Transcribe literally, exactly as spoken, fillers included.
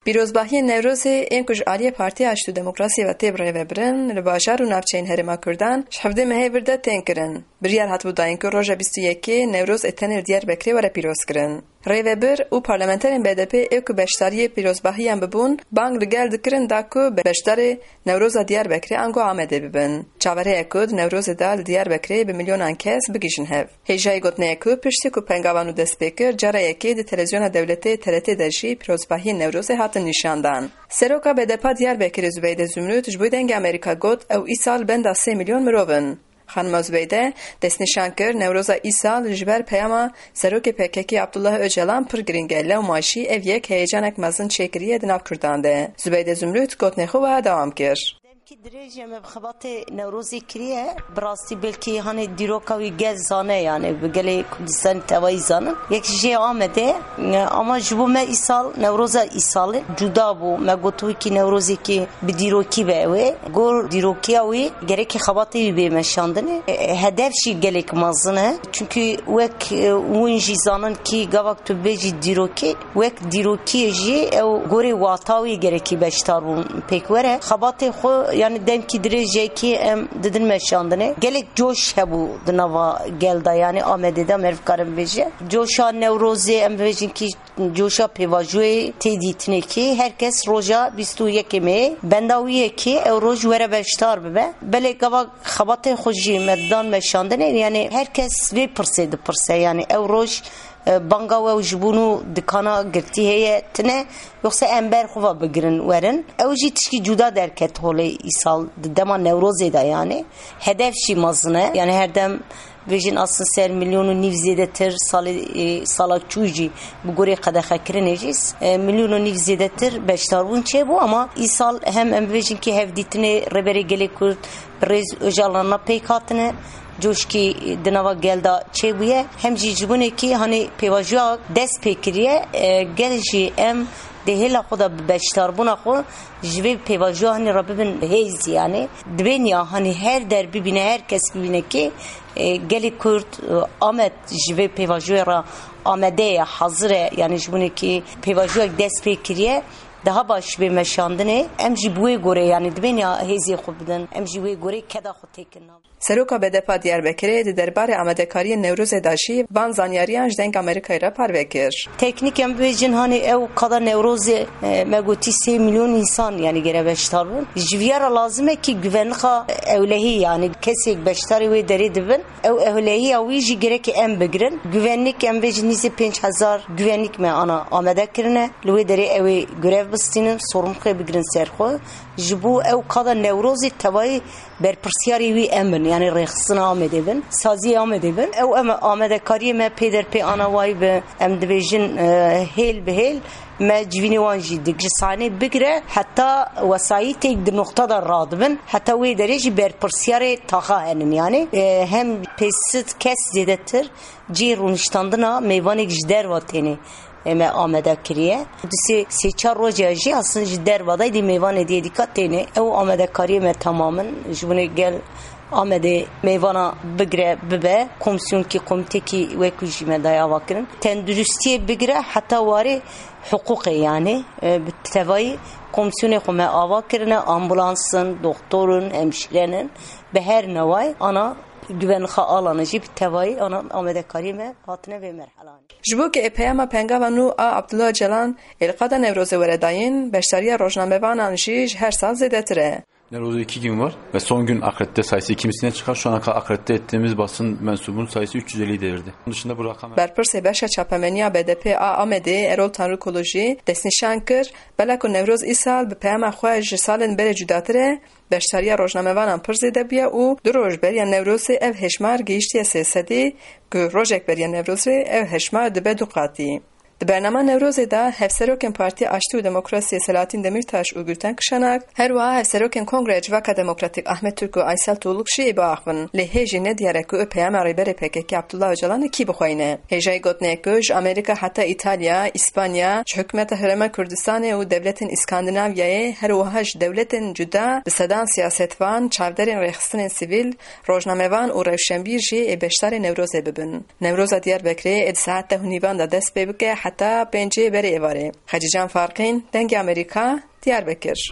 Pîrozbahiyên Newrozê ên ku ji aliyê Partiya Aştî û Demokrasiyê ve tê birêvebirin, li bajar û navçeyên Herêma Kurdan ji hevdê mehê vir de tên kirin. Biryar hatibû dayîn ku roja bîst û yekê Newroz ê tenê li Diyarbekirê were pîrozkirin. Rêvebir û parlamenterên B D P ê ku beşdariyê pîrozbahiyan bibûn, bang li gel dikirin da ku beşdarê Newroza Diyarbekirê ango Amedê bibin. Çaverê ye ku di Newrozê de li Diyarbekirê bi milyonan kes bigihîjin hev. Hêjayî gotinê ye ku piştî ku pengava nû dest pê kir, cara yekê di televîzyona dewletê T R T de jî pîrozbahiyên Newrozê hatin nîşandan. Seroka B D P a Diyarbekirê Zubeyde Zumrût ji bo Dengê Amerîka got, ew îsal benda sê milyon mirov in. Xanima Zubeyde destnîşan kir, Newroza îsal ji ber peyama Serokê P K K Abdullah Ocalan pir girîng e, lewma jî ev yek heyecanek mezin çêkiriye di nav Kurdan de. Zubeyde Zumrût gotinê xwe wiha dewam kir. Demkî dirêj e me bi xebatê Newrozê kiriye. Bi rastî belkî hanê dîroka wî gel zane, yani bi gelê Kurdistanê tevayî zanin. Yek jê Amedê, e, ama ji bo me îsal Newroza îsalê cuda bû. Me got wekî Newrozekî bi dîrokî be ew ê. Gor dîrokiya wî gerekî xebatê wî bê meşandinê. E, hedef jî gelek mezin e. Çunkî wek, e, hûn jî zanin kî gavak tu bêjî dîrokî, wek dîrokiyê jî ew gorê wata wî gerekî beşdarbûn pêk were. Xebatê xwe, yani demkî dirêjekî em didin meşandinê. Gelek coş hebû di nava gel de, yani Amedê de meriv karin bêje. Coşa Newrozê em bêjin kî coşa pêvajoyê tê dîtinê kî her kes roja bîst û yekê mehê benda wî ye kî ew roj were beşdar bibe. Belê gava xebatê xwe jî me dan meşandinê, yani her kes vê pirsê dipirse, yani ew roj, e, banga we ji bo nû dikana girtî heye tine, yoxsa em ber xwe ve bigirin werin. Ew jî tişkî cuda derket holê îsal di dema Newrozê de yani. Hedef jî mezin e, yani her dem bêjin aslin ser milyon û nîv zêdetir salê, e, sala çû jî bi gorî qedexekirinê jî, e, milyon û nîv zêdetir beşdarbûn çêbû, ama îsal hem em bêjin kî hevdîtinê Rêberê Gelê Kurd bi rêz Ocalan re pêk hatine, coşkî di nava gel de çêbûye, hem jî ji binê kî hanê pêvajoya dest pê kiriye, e, gel jî em dê hêla xwe de bi beşdarbûna xwe ji vê pêvajoya hanê re bibin hêz, yani. Dibên ya hanê her der bibîne, her kes bibîne kî, e, gelê Kurd, e, Amed ji vê pêvajoyê re amade ye, hazir e, yani ji binê kî pêvajoyek dest pê kiriye, daha baş bê meşandinê. Em jî bi wê gorê, yani dibên ya hêzê xwe bidin, em jî wê gorê keda xwe têkin nav. Seroka B D P a Diyarbekirê di derbarê amadekariyên Newrozê de jî van zanyariyan ji Deng Amerîkayê re parve kir. Teknîk em bibêjin, hanê ew qada Newrozê, e, me gotî sê milyon însan, yani gere beşdar bûn. Ji viya re lazim e kî güvenlixa ewlehî, yani kesêk beşdarê wê derê dibin, ew ewlehiya wî jî gerekê em bigirin. Güvenlik em bêjin nîzê pênc hezar güvenlik me ana amade kirine. Li wê derê ew ê grev bistînin, sorumlixê bigirin ser xwe. Ji bo ew qada Newrozê tevayî berpirsiyarê wî em bin, yani rêxistina Amedê bin, saziyê Amedê bin. Ew em amadekariyê me pê der pê ana wayî bi, em dibêjin, e, hêl bi hêl me civînê wan jî dik ji sahnê bigire, heta wesayîtêk di noxta de radibin, heta wê derê jî berpirsiyarê taxa henin. Yani, e, hem pênc sed kes zêdetir cihê rûniştandina mêvanek ji derva têne, e, me amade kiriye. Di sê, sê çar rojê jî aslin ji derva de dî mêvanê dê dîka têne. Ew amadekariyê me temamin. Ji binê gel Amedê mêvana bigire bibe, komsiyonekî, komîtekî wekî jî me daye ava kirin. Tenduristiyê bigire heta warê hiqûqê, yani, e, bi tevayî komsiyonê xwe me ava kirine, ambulans in, doktor in, hemşîren in, bi her neway ana güvenlixa alanê jî bi tevayî ana amadekariyê me hatine vê merhelanê. Ji bo ku ê peyama pengava nû a Abdullah Ocalan ê li qada Newrozê were dayîn, beşdariya rojnamevanan jî ji her sal zêdetir e. Newroz'da iki gün var ve son gün akredite sayısı iki misline çıkar. Şu ana kadar akredite ettiğimiz basın mensubunun sayısı üç yüz elliyi devirdi. Bunun dışında bu rakam Berpirsê beşa çapemeniya B D P a Amedê Erol Tanrıkulu jî destnîşan kir, bela ku Newroz îsal bi peyama xwe ji salên berê cudatir e, beşdariya rojnamevanan pir zêde bûye û du roj beriya Newrozê ev hêşmar gihîştiye sê sedî, ku rojek beriya Newrozê ev hêşmar dibe du qatî. Di bernama Newrozê de Hevserokên Partiya Aştî û Demokrasiyê Selahattin Demirtaş û Gülten Kışanak, her wiha Hevserokên Kongreya Civaka Demokratîk Ahmet Türk û Aysel Tuğluk jî ê biaxivin. Lê hê jî ne diyar e ku peyama Rêberê P K K Abdullah Ocalanê kî bixweyne. Hêjayî gotinê ye ku ji Amerîka heta Îtalya, Îspanya, ji hikûmeta Herêma Kurdistanê û dewletên Îskandinavyayê, her wiha ji dewletên cuda bi sedan siyasetvan, çavderên rêxistinên sivîl, rojnamevan û rewşenbîr jî ê beşdarê Newrozê bibin. Newroza Diyarbekirê ê di saet deh û nîvan de dest pê bike, heta pêncê berê êvarê. Xecîcan Farqîn, Dengê Amerîka, Diyarbekir.